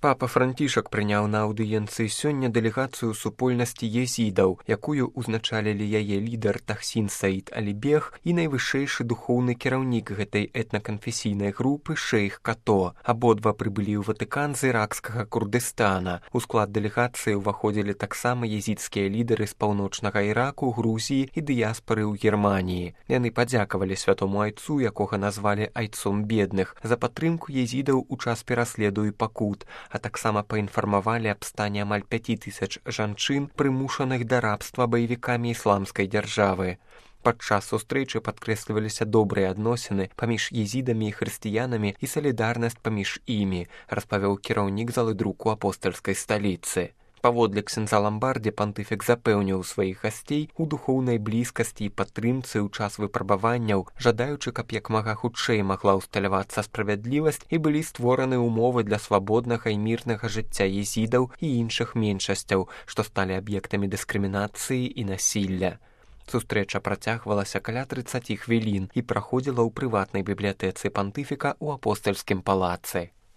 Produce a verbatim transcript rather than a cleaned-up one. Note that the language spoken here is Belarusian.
Папа Францішак прыняў на аўдыенцыі сёння дэлегацыю супольнасці езідаў, якую ўзначалілі яе лідар Тахсін Саід Алібег і найвышэйшы духоўны кіраўнік гэтай этнаканфесійнай групы шэйх Като. Абодва прыбылі ў Ватыкан з іракскага Курдыстана. У склад дэлегацыі ўваходзілі таксама езідскія лідары з паўночнага Іраку, Грузіі і дыяспары ў Германіі. Яны падзякавалі святому айцу, якога назвалі айцом бедных, за падтрымку езідаў у час пераследу і пакут, а таксама паінфармавалі аб стане амаль пяці тысяч жанчын, прымушаных да рабства баевікамі ісламскай дзяржавы. Падчас сустрэчы падкрэсліваліся добрыя адносіны паміж езідамі і хрысціянамі і салідарнасць паміж імі, распавёў кіраўнік залы друку апостальскай сталіцы. Паводле ксяндза Ламбардзе пантыфік запэўніў сваіх гасцей у духоўнай блізкасці і падтрымцы ў час выпрабаванняў, жадаючы, каб як мага хутчэй магла ўсталявацца справядлівасць і былі створаны ўмовы для свабоднага і мірнага жыцця езідаў і іншых меншасцяў, што сталі аб'ектамі дыскрымінацыі і насілля. Сустрэча працягвалася каля трыццаці хвілін і праходзіла ў прыватнай бібліятэцы пантыфіка ў апостальскім палацы.